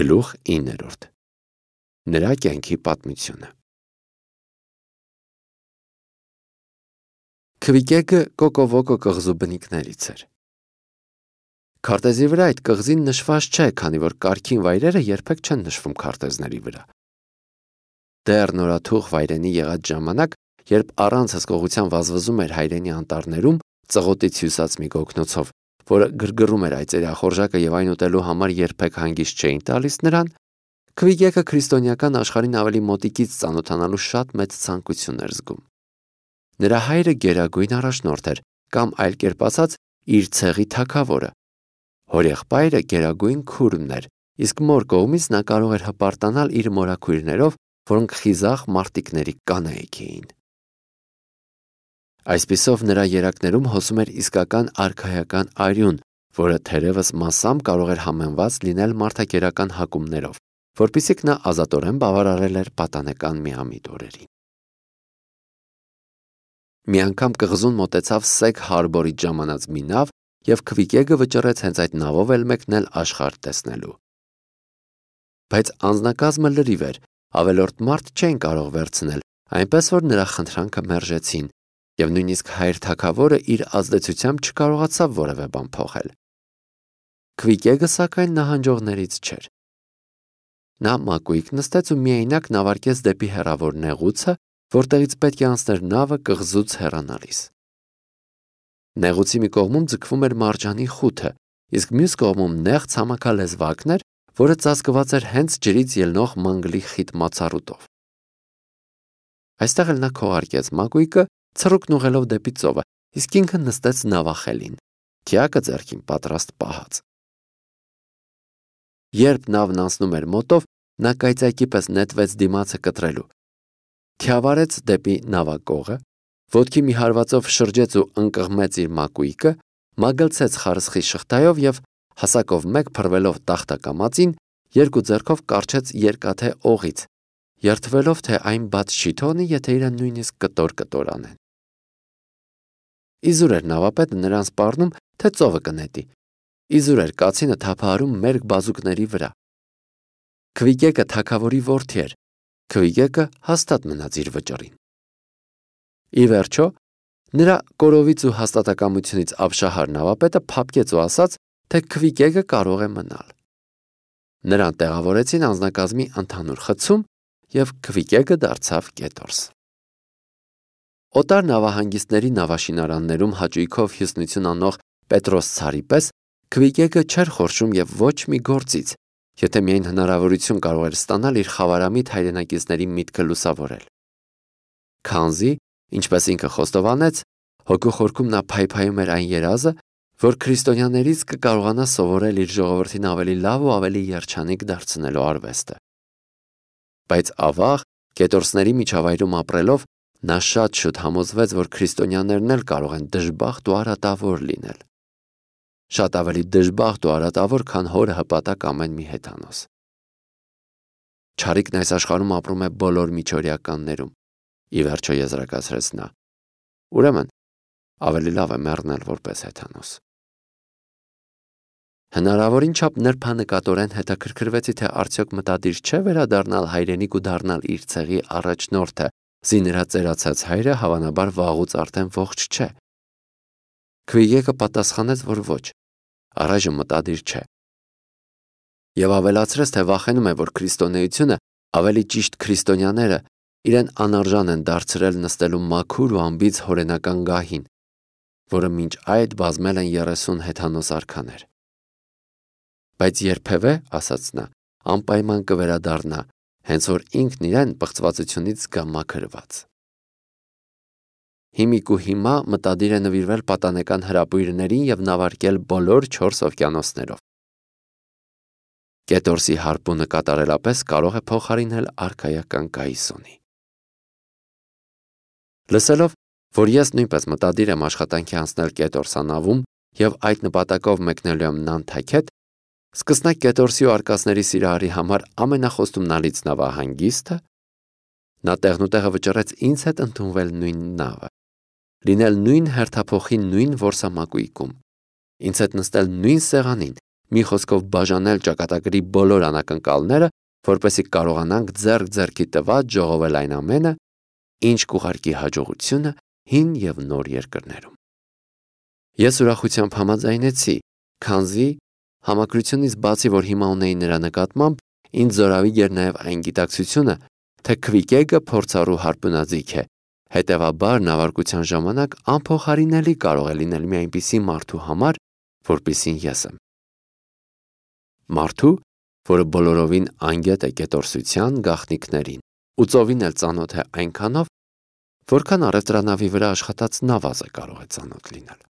Գլուխ 9. Նրա կյանքի պատմությունը։ Քվիկեկը Կոկովոկո կղզու բնիկներից էր։ Քարտեզի վրա այդ կղզին նշված չէ, քանի որ կարգին վայրերը երբեք չեն նշվում քարտեզների վրա։ Դեռ նորաթուխ վայրենի եղած ժամանակ, երբ առանց հսկողության վազվզում էր հայրենի անտառներում, ծղոտից հյուսած մի գոգնոցով, որը գրգռում էր այծերի ախորժակը եւ այն ուտելու համար երբեք հանգիստ չէին տալիս նրան, Քվիկեկը քրիստոնեական աշխարհին ավելի մոտիկից ծանոթանալու շատ մեծ ցանկություն էր զգում։ Նրա հայրը գերագույն առաջնորդ էր, կամ այլ կերպ ասած, իր ցեղի թագավորը։ Հորեղբայրը գերագույն քուրմն էր, իսկ մոր կողմից նա կարող էր հպարտանալ իր մորաքույրներով, որոնք խիզախ մարտիկների կանայք էին։ Այսպիսով նրա երակներում հոսում էր իսկական արքայական արյուն, որը թերևս մասամբ կարող էր համեմված լինել մարդակերական հակումներով, որպիսիք նա ազատորեն բավարարել էր պատանեկան միամիտ օրերին։ Մի անգամ կղզուն մոտեցավ Սեգ Հարբորից ժամանած մի նավ, եւ Քվիկեկը վճռեց հենց այդ նավով էլ մեկնել աշխարհ տեսնելու։ Բայց անձնակազմը լրիվ էր, ավելորդ մարդ չէին կարող վերցնել, այնպես որ նրա խնդրանքը մերժեցին, եւ նույնիսկ հայր թագավորը իր ազդեցությամբ չկարողացավ որևէ բան փոխել։ Քվիկեկը սակայն նահանջողներից չէր։ Նա մակույկ նստեց ու միայնակ նավարկեց դեպի հեռավոր նեղուցը, որտեղից պետք է անցներ նավը կղզուց հեռանալիս։ Նեղուցի մի կողմում ձգվում էր մարջանի խութը, իսկ մյուս կողմում նեղ ցամաքալեզվակն էր, որը ծածկված էր հենց ջրից ելնող մանգլի խիտ մացառուտով։ Այստեղ էլ նա քողարկեց մակույկը, ցռուկն ուղղելով դեպի ծովը, իսկ ինքը նստեց նավախելին, թիակը ձեռքին պատրաստ պահած։ Երբ նավն անցնում էր մոտով, նա կայծակի պես նետվեց դիմացը կտրելու։ Թիավարեց դեպի նավակողը, ոտքի մի հարվածով շրջեց ու ընկղմեց իր մակույկը, մագլցեց խարսխի շղթայով եւ հասակով մեկ փռվելով տախտակամածին, երկու ձեռքով կարչեց երկաթե օղից, երթվելով թե այն բաց չի թողնի, եթե իրեն նույնիսկ կտոր անեն։ Իզուր էր նավապետը նրան սպառնում, թե ծովը կնետի։ Իզուր էր կացինը թափահարում մերկ բազուկների վրա։ Քվիկեկը թագավորի որդի էր։ Քվիկեկը հաստատ մնաց իր վճռին։ Ի վերջո, նրա կորովից ու հաստատակամությունից ապշահար նավապետը փափկեց ու ասաց, թե Քվիկեկը կարող է մնալ։ Նրան տեղավորեցին անձնակազմի ընդհանուր խցում, եւ Քվիկեկը դարձավ կետորս։ Օտար նավահանգիստների նավաշինարաններում հաճույքով հյուսնություն անող Պետրոս ցարի պես Քվիկեկը չէր խորշում եւ ոչ մի գործից, եթե միայն հնարավորություն կարող էր ստանալ իր խավարամիտ հայրենակիցների միտքը լուսավորել։ Քանզի, ինչպես ինքը խոստովանեց, հոգու խորքում նա փայփայում էր այն երազը, որ քրիստոնյաներից կկարողանա սովորել իր ժողովրդին ավելի լավ ու ավելի երջանիկ դարձնելու արվեստը։ Բայց ավաղ, կետորսների միջավայրում ապրելով, նա շատ շուտ համոզվեց, որ քրիստոնյաներն էլ կարող են դժբախտ ու արատավոր լինել։ Շատ ավելի դժբախտ ու արատավոր, քան հորը հպատակ ամեն մի հեթանոս։ Չարիքն այս աշխարհում ապրում է բոլոր միջօրյականներում, ի վերջո եզրակացրեց նա։ Ուրեմն, ավելի լավ է մեռնել որպես հեթանոս։ Հնարավորին չափ նրբանկատորեն հետաքրքրվեցի, թե արդյոք մտադիր չէ վերադառնալ հայրենիք ու դառնալ իր ցեղի առաջնորդը, զի նրա ծերացած հայրը հավանաբար վաղուց արդեն ողջ չէ։ Քվիկեկը պատասխանեց, որ ոչ, առայժմ մտադիր չէ։ Եվ ավելացրեց, թե վախենում է, որ քրիստոնեությունը, ավելի ճիշտ քրիստոնյաները, իրեն անարժան են դարձրել նստելու մաքուր ու անբիծ հորենական գահին, որը մինչ այդ բազմել են 30 հեթանոս արքաներ։ Բայց երբևէ, ասաց նա, անպայման կվերադառնա, հենց որ ինքն իրեն պղծվածությունից զգա մաքրված։ Հիմիկ ու հիմա մտադիր է նվիրվել պատանեկան հրապույրներին եւ նավարկել բոլոր 4 օվկիանոսներով։ Կետորսի հարպունը կատարելապես կարող է փոխարինել արքայական կայսոնի։ Լսելով, որ ես նույնպես մտադիր եմ աշխատանքի անցնել կետորսանավում եւ այդ նպատակով մեկնելու եմ Նանթաքետ, սկսնակ կետորսի ու արկածների սիրահարի համար ամենախոստումնալից նավահանգիստը, նա տեղնուտեղը վճռեց ինձ հետ ընդունվել նույն նավը, լինել նույն հերթափոխի նույն որսամակույկում, ինձ հետ նստել նույն սեղանին, մի խոսքով բաժանել ճակատագրի բոլոր անակնկալները, որպեսզի կարողանանք ձեռք-ձեռքի տված ժողովել այն ամենը, ինչ կուղարկի հաջողությունը հին եւ նոր երկրներում։ Ես ուրախությամբ համաձայնեցի, քանզի համակրությունից բացի, որ հիմա ունեի նրա նկատմամբ, ինձ զորավիճ էր նաև այն գիտակցությունը, թե քվիկեգը փորձառու հարբունաձիգ է, հետևաբար նավարկության ժամանակ անփոխարինելի կարող է լինել մի այնպիսի մարդու համար, որպիսին ես եմ։ Մարդու, որը բոլորովին անգետ է կետորսության գաղտնիքներին ու ծովին էլ ծանոթ է այնքանով, որքան առևտրանավի վրա աշխատած նավազը կարող է ծանոթ լինել։